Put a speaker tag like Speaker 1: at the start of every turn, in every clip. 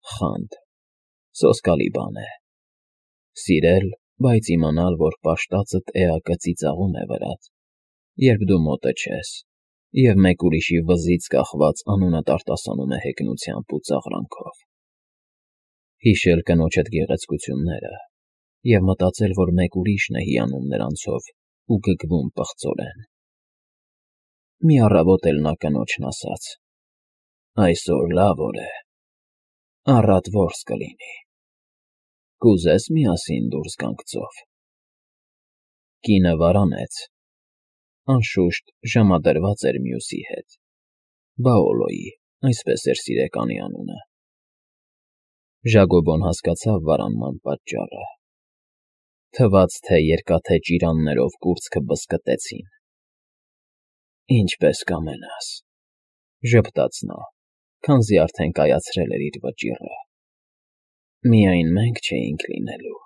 Speaker 1: Խանդ, սոսկալի բան է։ Սիրել, բայց իմանալ, որ պաշտածդ էակը ծիծաղում է վրադ, երբ դու մոտը չես, և մեկ ուրիշի վզից կախված անունդ արտասանում է հեգնությամբ ու ծաղրանքով։ Հիշել կնոջդ գեղեցկությունները և մտածել, որ մեկ ուրիշն է հիանում նրանցով ու գգվում պղծորեն։ Մի առավոտ էլ նա կնոջն ասաց. «Այսօր լավ օր է, առատ որս կլինի, կուզե՞ս միասին դուրս գանք ծով»։ Կինը վարանեց, անշուշտ, ժամադրված էր մյուսի հետ, Բաոլոյի, այսպես էր սիրեկանի անունը։ Ժակոբոն հասկացավ վարանման պատճառը. թվաց, թե երկաթե ճիրաններով կուրծքը բզկտեցին։ «Ինչպես կամենաս», ժպտաց նա, քանզի արդեն կայացրել էր իր վճիռը։ «Միայն մենք չէինք լինելու»,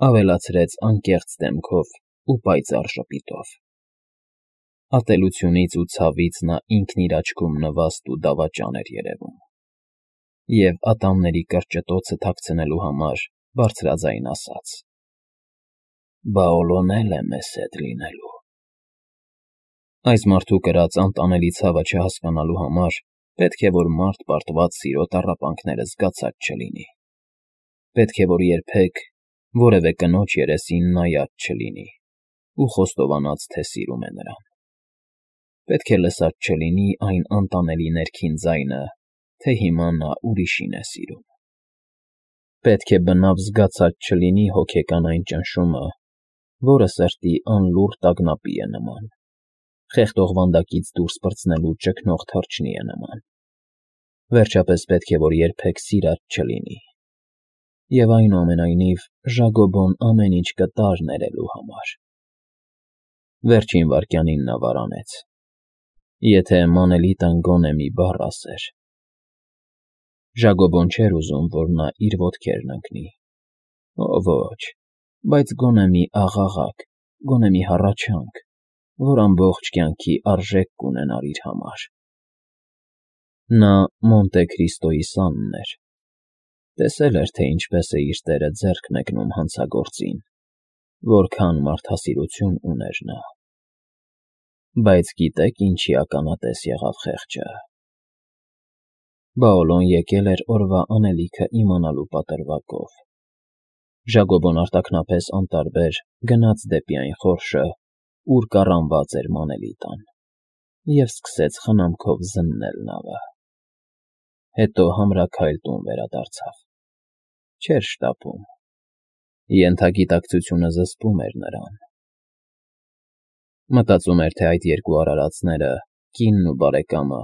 Speaker 1: ավելացրեց անկեղծ դեմքով ու պայծառ ժպիտով։ Ատելությունից ու ցավից նա ինքն իր աչքում նվաստ ու դավաճան էր երևում, և ատամների կրճտոցը թաքցնելու համար բարձրաձայն ասաց. «Բաոլոն էլ է մեզ հետ լինելու»։ Այս մարդու կրած անտանելի ցավը չհասկանալու համար պետք է որ մարդ պարտված սիրո տառապանքները զգացած չլինի, պետք է որ երբեք որևէ կնոջ երեսին նայած չլինի ու խոստովանած, թե սիրում է նրան, պետք է լսած չլինի այն անտանելի ներքին ձայնը, թե հիմա նա ուրիշին է սիրում, պետք է բնավ զգացած չլինի հոգեկան այն ճնշումը, որը սրտի անլուռ տագնապի է նման, խեղդող վանդակից դուրս պրծնելու ճգնող թռչնի է նման, վերջապես պետք է որ երբեք սիրած չլինի, և այնուամենայնիվ Ժակոբոն ամեն ինչ կտար ներելու համար։ Վերջին վայրկյանին նա վարանեց, եթե Մանելիտան գոնե մի բառ ասեր։ Ժակոբոն չէր ուզում, որ նա իր ոտքերն ընկնի, ոչ, բայց գոնե մի աղաղակ, գոնե մի հառաչանք, որ ամբողջ կյանքի արժեք կունենար իր համար։ Նա Մոնտե Քրիստոյի սանն էր, տեսել էր, թե ինչպես է իր տերը ձեռք մեկնում հանցագործին, որքան մարդասիրություն ուներ նա։ Բայց գիտե՞ք ինչի ականատես եղավ խեղճը։ Բաոլոն եկել էր օրվա անելիքը իմանալու պատրվակով։ Ժակոբոն արտաքնապես անտարբեր գնաց դեպի այն խորշը, ուր կառանված էր Մանելիտան, և սկսեց խնամքով զննել նավը։ Հետո համրաքայլ տուն վերադարձավ։ Չէր շտապում։ Ենթագիտակցությունը զսպում էր նրան։ Մտածում էր, թե այդ երկու արարածները, կինն ու բարեկամը,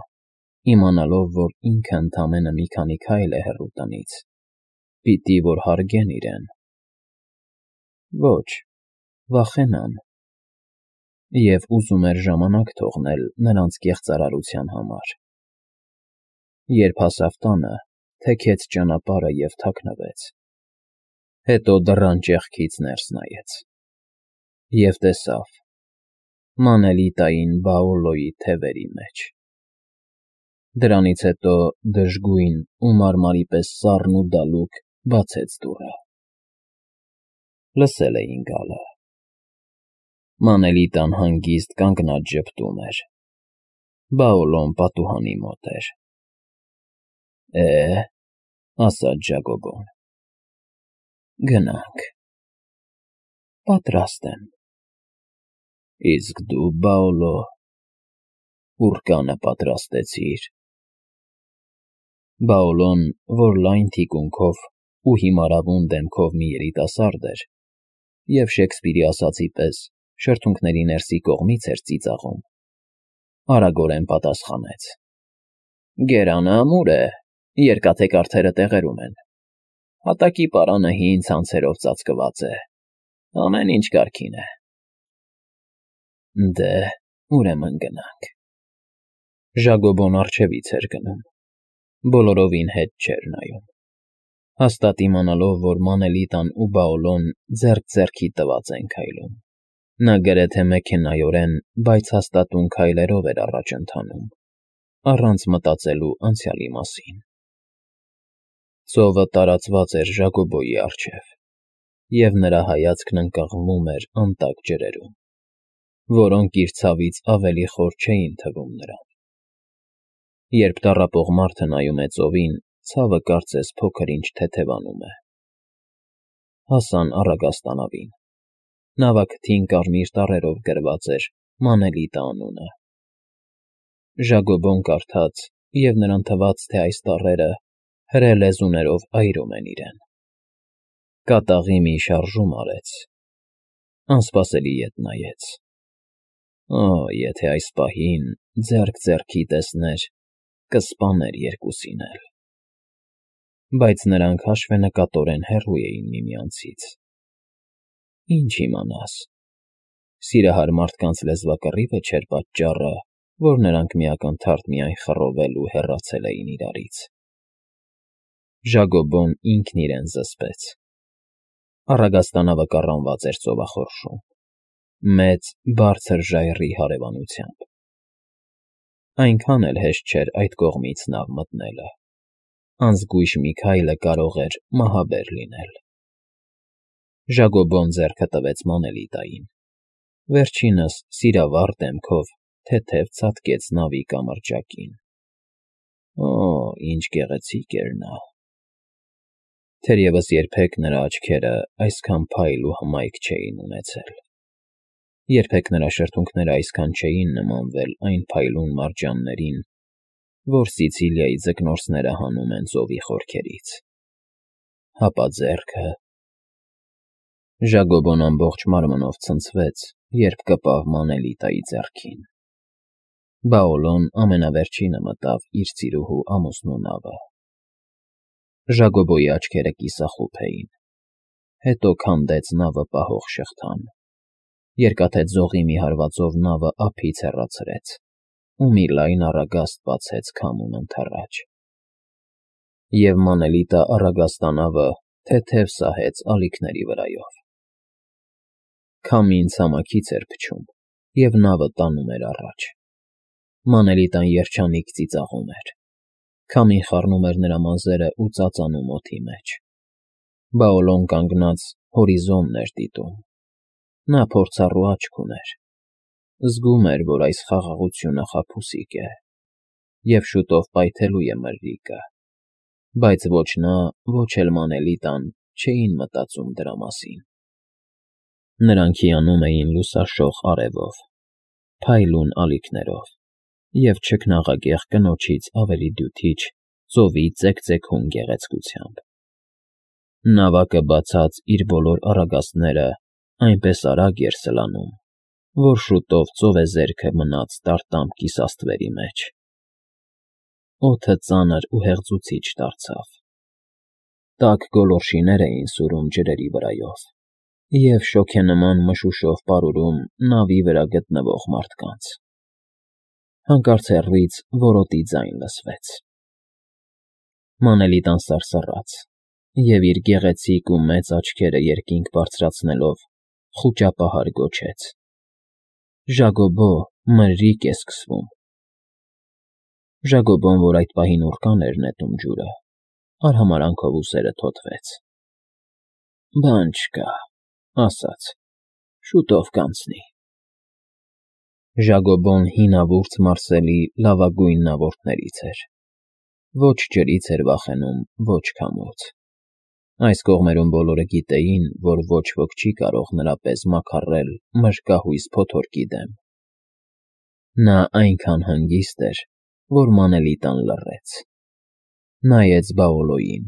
Speaker 1: իմանալով, որ ինքը ընդամենը մի քանի քայլ է հեռու տնից, պիտի որ հարգեն իրեն։ Ոչ, վախենան։ Եվ ուզում էր ժամանակ թողնել նրանց կեղծարարության համար։ Երբ հասավ տանը, թեքեց ճանապարհը և թաքնվեց։ Հետո դռան ճեղքից ներս նայեց և տեսավ Մանելիտային Բաոլոյի թևերի մեջ։ Դրանից հետո դժգույն ու մարմարի պես սառն ու դալուկ բացեց դուռը։ Լսել էին գալը։ Մանելիտան հանգիստ կանգնած ժպտում էր։ Բաոլոն պատուհանի մոտ էր։ «Է,» ասաց Ժակոբոն, «գնանք»։ «Պատրաստ եմ»։ «Իսկ դու, Բաոլո, պուրկանը պատրաստեցի՞ր»։ Բաոլոն, որ լայն թիկունքով ու հիմարավուն դեմքով մի երիտասարդ էր և Շեքսպիրի ասածի պես շրթունքների ներսի կողմից էր ծիծաղում, արագորեն պատասխանեց. «Գերանը ամուր է, երկաթե կառթերը տեղերում են, հատակի պարանը հին ցանցերով ծածկված է, ամեն ինչ կարգին է»։ «Դե, ուրեմն գնանք»։ Ժակոբոն առջևից էր գնում, բոլորովին հետ չէր նայում, հաստատ իմանալով, որ Մանելիտան ու Բաոլոն ձեռք ձեռքի տված են քայլում։ Նա գրեթե մեքենայորեն, բայց հաստատուն քայլերով էր առաջ ընթանում, առանց մտածելու անցյալի մասին։ Ծովը տարածված էր Ժակոբոյի առջև, և նրա հայացքն ընկղմվում էր անտակ ջրերում, որոնք իր ցավից ավելի խոր չէին թվում նրան։ Երբ տառապող մարդը նայում է ծովին, ցավը կարծես փոքր-ինչ թեթևանում է։ Հասան առագաստանավին։ Նավակթին կարմիր տառերով գրված էր Մանելիտա անունը։ Ժակոբոն կարդաց, և նրան թվաց, թե այս տառերը հրե լեզուներով այրում են իրեն։ Կատաղի մի շարժում արեց, անսպասելի ետ նայեց։ Օ, եթե այս պահին ձեռք ձեռքի տեսներ, կսպաներ երկուսին էլ։ Բայց նրանք հաշվենկատորեն հեռու էին միմյանցից։ Ինչ իմանաս, սիրահար մարդկանց լեզվակռիվը չէր պատճառը, որ նրանք միակնթարթ միայն խռովել ու հեռացել էին իրարից։ Ժակոբոն ինքն իրեն զսպեց։ Առագաստանավը կառանված էր ծովախորշում, մեծ, բարձր ժայռի հարևանությամբ։ Այնքան էլ հեշտ չէր այդ կողմից նավ մտնելը։ Անզգույշ մի քայլը կարող էր մահաբեր լինել։ Ժակոբոն ձեռքը տվեց Մանելիտային։ Վերջինս սիրավառ դեմքով թեթև ցատկեց նավի կամրջակին։ Օ, ինչ գեղեցիկ էր նա։ Թերևս երբեք նրա աչքերը այսքան փայլ ու հմայք չէին ունեցել։ Երբեք նրա շրթունքները այսքան չէին նմանվել այն փայլուն մարջաններին, որ Սիցիլիայի ձկնորսները հանում են ծովի խորքերից։ Հապա ձեռքը… Ժակոբոն ամբողջ մարմնով ցնցվեց, երբ կպավ Մանելիտայի ձեռքին։ Բաոլոն ամենավերջինը մտավ իր ծիրուհու ամուսնու նավը։ Ժակոբոյի աչքերը կիսախուփ էին։ Հետո քանդեց նավը պահող շղթան։ Երկաթե ձողի մի հարվածով նավը ափից հեռացրեց, ու մի լայն առագաստ բացեց քամուն ընդառաջ։ Եվ Մանելիտա առագաստանավը թեթև սահեց ալիքների վրայով։ Քամին ցամաքից էր փչում, և նավը տանում էր առաջ։ Մանելիտան երջանիկ ծիծաղում էր։ Քամին խառնում էր նրա մազերը ու ծածանում օդի մեջ։ Բաոլոն կանգնած հորիզոնն էր դիտում։ Նա փորձառու աչք ուներ։ Զգում էր, որ այս խաղաղությունը խաբուսիկ է, և շուտով պայթելու է մրրիկը, բայց ոչ նա, ոչ էլ Մանելիտան չէին մտածում դրա մասին։ Նրանք հիանում էին լուսաշող արևով, փայլուն ալիքներով և չքնաղագեղ կնոջից ավելի դյութիչ ծովի ծեքծեքուն գեղեցկությամբ։ Նավակը բացած իր բոլոր առագաստները այնպես արագ էր սլանում, որ շուտով ծովեզերքը մնաց տարտամփ կիսաստվերի մեջ։ Օդը ծանր ու հեղձուցիչ դարձավ։ Տաք գոլորշիներ էին սուրում ջրերի վրայով և շոգենման մշուշով պարուրում նավի վրա գտնվող մարդկանց։ Հանկարծ հեռվից որոտի ձայն լսվեց։ Մանելիտան սարսռաց և իր գեղեցիկ ու մեծ աչքերը երկինք բարձրացնելով խուճապահար գոչեց. «Ժակոբո, մրրիկ է սկսվում»։ Ժակոբոն, որ այդ պահին ուռկան էր նետում ջուրը, արհամարհանքով ուսերը թոթվեց։ «Բան չկա», ասաց, «շուտով կանցնի»։ Ժակոբոն հինավուրց Մարսելի լավագույն նավորդներից էր։ Ոչ ջրից էր վախենում, ոչ քամուց։ Այս կողմերում բոլորը գիտեին, որ ոչ ոք չի կարող նրա պես մաքառել մրրկահույս փոթորկի դեմ։ Նա այնքան հանգիստ էր, որ Մանելիտան լռեց։ Նայեց Բաոլոյին։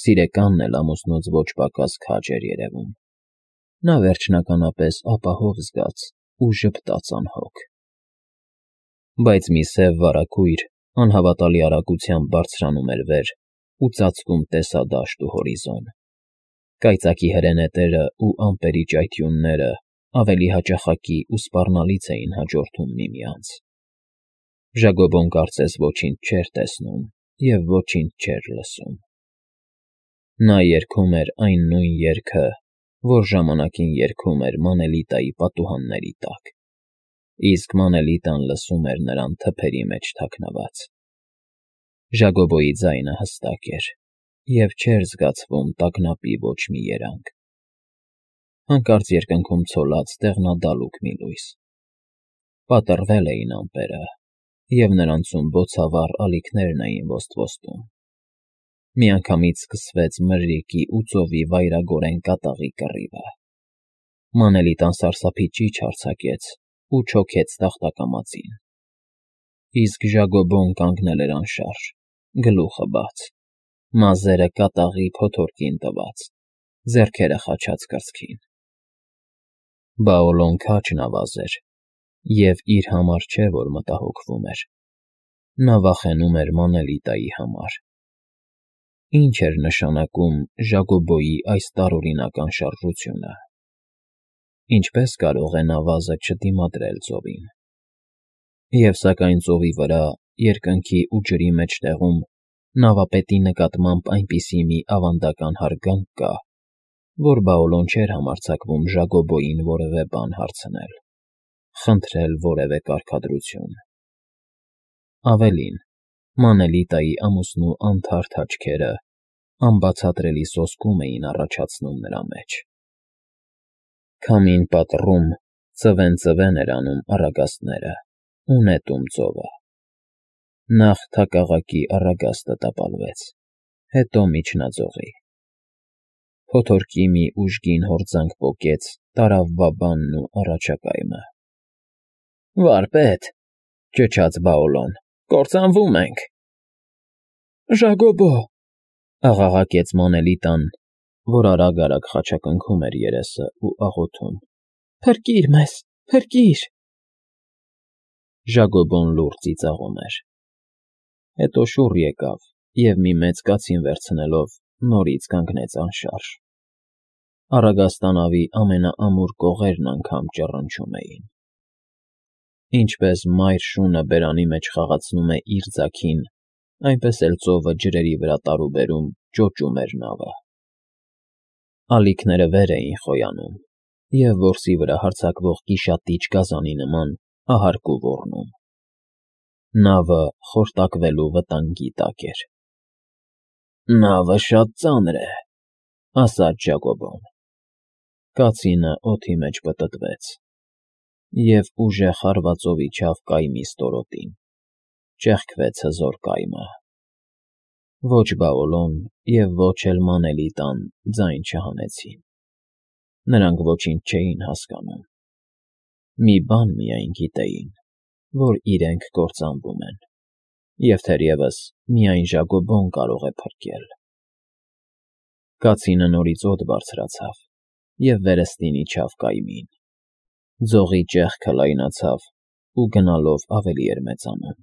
Speaker 1: Սիրեկանն էլ ամուսնուց ոչ պակաս քաջ էր երևում։ Նա վերջնականապես ապահով զգաց ու ժպտաց անհոգ։ Բայց մի սև վարագույր անհավատալի արագությամբ բարձրանում էր վեր ու ծածկում տեսադաշտ ու հորիզոն։ Կայծակի հրենետերն ու ամպերի ճայթյունները ավելի հաճախակի ու սպառնալից էին հաջորդում միմյանց։ Ժակոբոն կարծես ոչինչ չէր տեսնում և ոչինչ չէր լսում։ Նա երգում էր այն նույն երգը, որ ժամանակին երգում էր Մանելիտայի պատուհանների տակ, իսկ Մանելիտան լսում էր նրան թփերի մեջ թաքնված։ Ժակոբոյի ձայնը հստակ էր, և չէր զգացվում տագնապի ոչ մի երանգ։ Հանկարծ երկնքում ցոլած դեղնադալուկ մի լույս։ Պատռվել էին ամպերը, և նրանցում բոցավառ ալիքներն էին ոստվոստում։ Միանգամից սկսվեց մրրիկի ու ծովի վայրագորեն կատաղի կռիվը։ Մանելիտան սարսափի ճիչ արձակեց ու չոքեց տախտակամածին։ Իսկ Ժագոբոն կանգնել էր անշարժ, գլուխը բաց, մազերը կատաղի փոթորկին տված, ձեռքերը խաչած կրծքին։ Բաոլոն քաջ նավազ էր, և իր համար չէ, որ մտահոգվում էր. նա վախենում էր Մանելիտայի համար։ Ինչ էր նշանակում Ժագոբոյի այս տարօրինական շարժությունը։ Ինչպե՞ս կարող է նավազը չդիմադրել ծովին։ Եվ սակայն ծովի վրա, երկնքի ու ջրի մեջտեղում նավապետի նկատմամբ այնպիսի մի ավանդական հարգանք կա, որ Բաոլոն չէր համարձակվում Ժագոբոյին որևէ բան հարցնել, խնդրել որևէ կարգադրություն։ Ավելին, Մանելիտայի ամուսնու անթարթ աչքերը անբացատրելի սոսկում էին առաջացնում նրա մեջ։ Քամին պատռում, ծվեն էր անում առագաստները ու նետում ծովը։ Նախ թակաղակի առագաստը տապալվեց, հետո միջնաձողի։ Փոթորկի մի ուժգին հորձանք պոկեց տարավ բաբանն ու առաջակայմը։ «Վարպետ,» ճչաց Բաոլոն,֊ կործանվում ենք»։ «Ժագոբո», աղաղակեց Մանելիտան, որ արագ-արագ խաչակնքում էր երեսը ու աղոթում,֊ փրկիր մեզ, փրկիր… Ժագոբոն լուռ ծիծաղում էր։ Հետո շուռ եկավ և մի մեծ կացին վերցնելով նորից կանգնեց անշարժ։ Առագաստանավի ամենաամուր կողերն անգամ ճռնչում էին։ Ինչպես մայր շունը բերանի մեջ խաղացնում է իր ձագին, այնպես էլ ծովը ջրերի վրա տարուբերում ճոճում էր նավը։ Ալիքները վեր էին խոյանում և որսի վրա հարձակվող կիշատիչ գազանի նման ահարկ ու ոռնում։ Նավը խորտակվելու վտանգի տակ էր։ «Նավը շատ ծանր է,» ասաց Ժագոբոն։ Կացինը օդի մեջ պտտվեց և ուժեղ հարվածով իջավ կայմի ստորոտին, ճեղքվեց հզոր կայմը։ Ոչ Բաոլոն և ոչ էլ Մանելիտան ձայն չհանեցին։ Նրանք ոչինչ չէին հասկանում։ Մի բան միայն գիտեին, որ իրենք կործանվում են, և թերևս միայն Ժագոբոն կարող է փրկել։ Կացինը նորից օդ բարձրացավ և վերստին իջավ կայմին։ Ձողի ճեղքը լայնացավ ու գնալով ավելի էր մեծանում։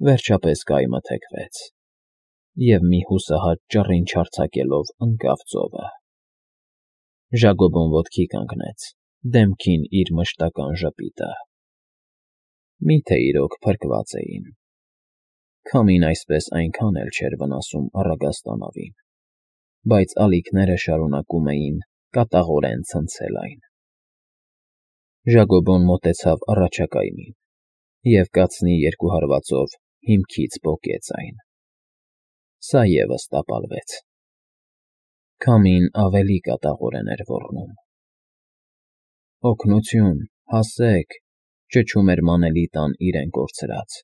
Speaker 1: Վերջապես կայմը թեքվեց, և մի հուսահատ ճռինչ արձակելով ընկավ ծովը։ Ժագոբոն ոտքի կանգնեց, դեմքին իր մշտական ժպիտը։ Մի՞թե իրոք փրկված էին։ Քամին այսպես այնքան էլ չէր վնասում առագաստանավին, բայց ալիքները շարունակում էին կատաղորեն ցնցել այն։ Ժագոբոն մոտեցավ առաջակայմին և կացնի երկու հարվածով հիմքից պոկեց այն։ Սա ևս տապալվեց։ Քամին ավելի կատաղորեն էր ոռնում։ «Օգնությո՛ւն, հասե՛ք,֊ ճչում էր Մանելիտան իրեն կորցրած։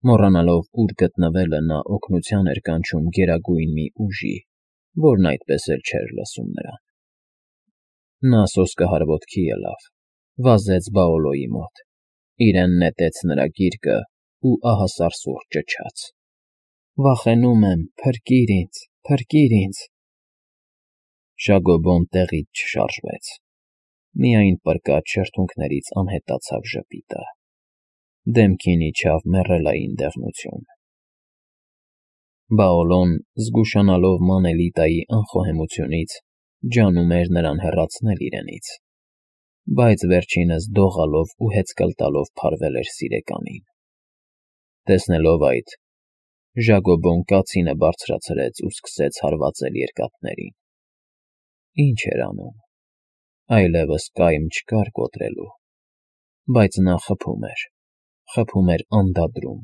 Speaker 1: Մոռանալով ուր գտնվելը նա օգնության էր կանչում գերագույն մի ուժի, որն այդպես էլ չէր լսում նրան։ Նա սոսկահար ոտքի ելավ, վազեց Բաոլոյի մոտ, իրեն նետեց նրա գիրկը ու ահասարսուռ ճչաց. «Վախենում եմ, փրկիր ինձ, փրկիր ինձ»։ Ժագոբոն տեղից չշարժվեց, միայն պրկած շրթունքներից անհետացավ ժպիտը։ Դեմքին իջավ մեռելային դեղնություն։ Բաոլոն, զգուշանալով Մանելիտայի անխոհեմությունից, ջանում էր նրան հեռացնել իրենից, բայց վերջինս դողալով ու հեծկլ տալով փարվել էր սիրեկանին։ Տեսնելով այդ, Ժագոբոն կացինը բարձրացրեց ու սկսեց հարվածել երկաթներին։ Ինչ էր անում։ Այլևս կայմ չկար կոտրելու, բայց նա խփում էր անդադրում,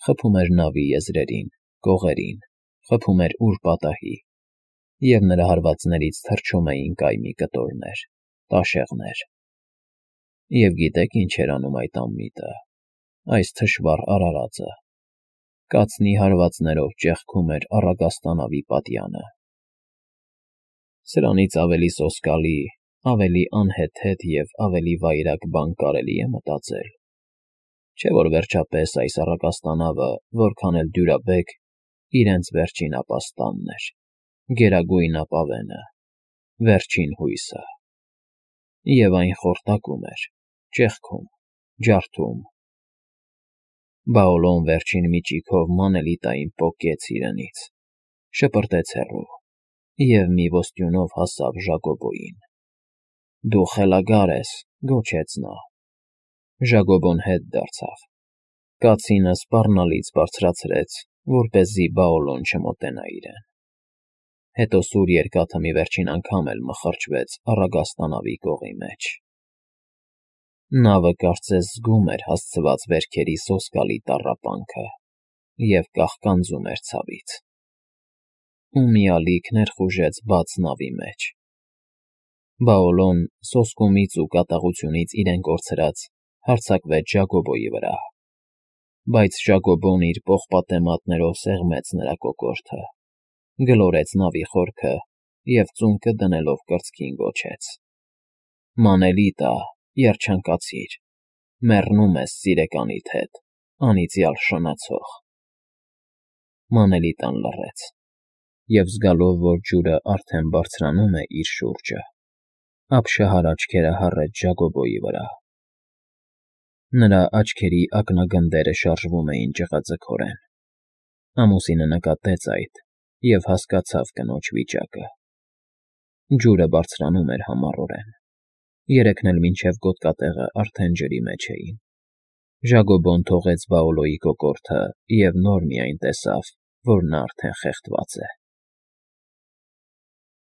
Speaker 1: խփում էր նավի եզրերին, կողերին, խփում էր ուր պատահի, և նրա հարվածներից թռչում էին կայմի կտորներ, տաշեղներ։ Եվ գիտեք ինչ էր անում այդ անմիտը, այս թշվառ արարածը, կացնի հարվածներով ճեղքում էր առագաստանավի պատյանը։ Սրանից ավելի սոսկալի, ավելի անհեթեթ և ավելի վայրագ բան կարելի է մտածել, չէ՞ որ վերջապես այս առագաստանավը, որքան էլ դյուրաբեկ, իրենց վերջին ապաստանն էր, գերագույն ապավենը, վերջին հույսը։ Եվ այն խորտակում էր, ճեղքում, ջարդում։ Բաոլոն վերջին միջիգով Մանելիտային պոկեց իրենից, շպրտեց հեռու և մի ոստյունով հասավ Ժակոբոյին։ «Դու խելագար ես», գոչեց նա։ Ժակոբոն հետ դարձավ, կացինը սպառնալից բարձրացրեց, որպեսզի Բաոլոն չմոտենա իրեն։ Հետո սուր երկաթը մի վերջին անգամ էլ մխրճվեց առագաստանավի կողի մեջ։ Նավը կարծես զգում էր հասցված վերքերի սոսկալի տառապանքը և կաղկանձում էր ցավից։ Ու մի ալիք ներխուժեց բաց նավի մեջ։ Բաոլոն, սոսկումից ու կատաղությունից իրեն կորցրած, հարձակվեց Ժակոբոյի վրա, բայց Ժակոբոն իր պողպատե մատներով սեղմեց նրա կոկորդը, գլորեց նավի խորքը և ծունկը դնելով կրծքին գոչեց. «Մանելիտա, երջանկացիր, մեռնում ես սիրեկանիդ հետ, անիծյալ շնացող»։ Մանելիտան լռեց, և զգալով, որ ջուրը արդեն բարձրանում է իր շուրջը, ապշահար աչքերը հառեց Ժակոբոյի վրա։ Նրա աչքերի ակնագնդերը շարժվում էին ջղաձգորեն։ Ամուսինը նկատեց այդ և հասկացավ կնոջ վիճակը։ Ջուրը բարձրանում էր համառորեն։ Երեքն էլ մինչև գոտկատեղը արդեն ջրի մեջ էին։ Ժակոբոն թողեց Բաոլոյի կոկորդը և նոր միայն տեսավ, որ նա արդեն խեղդված է։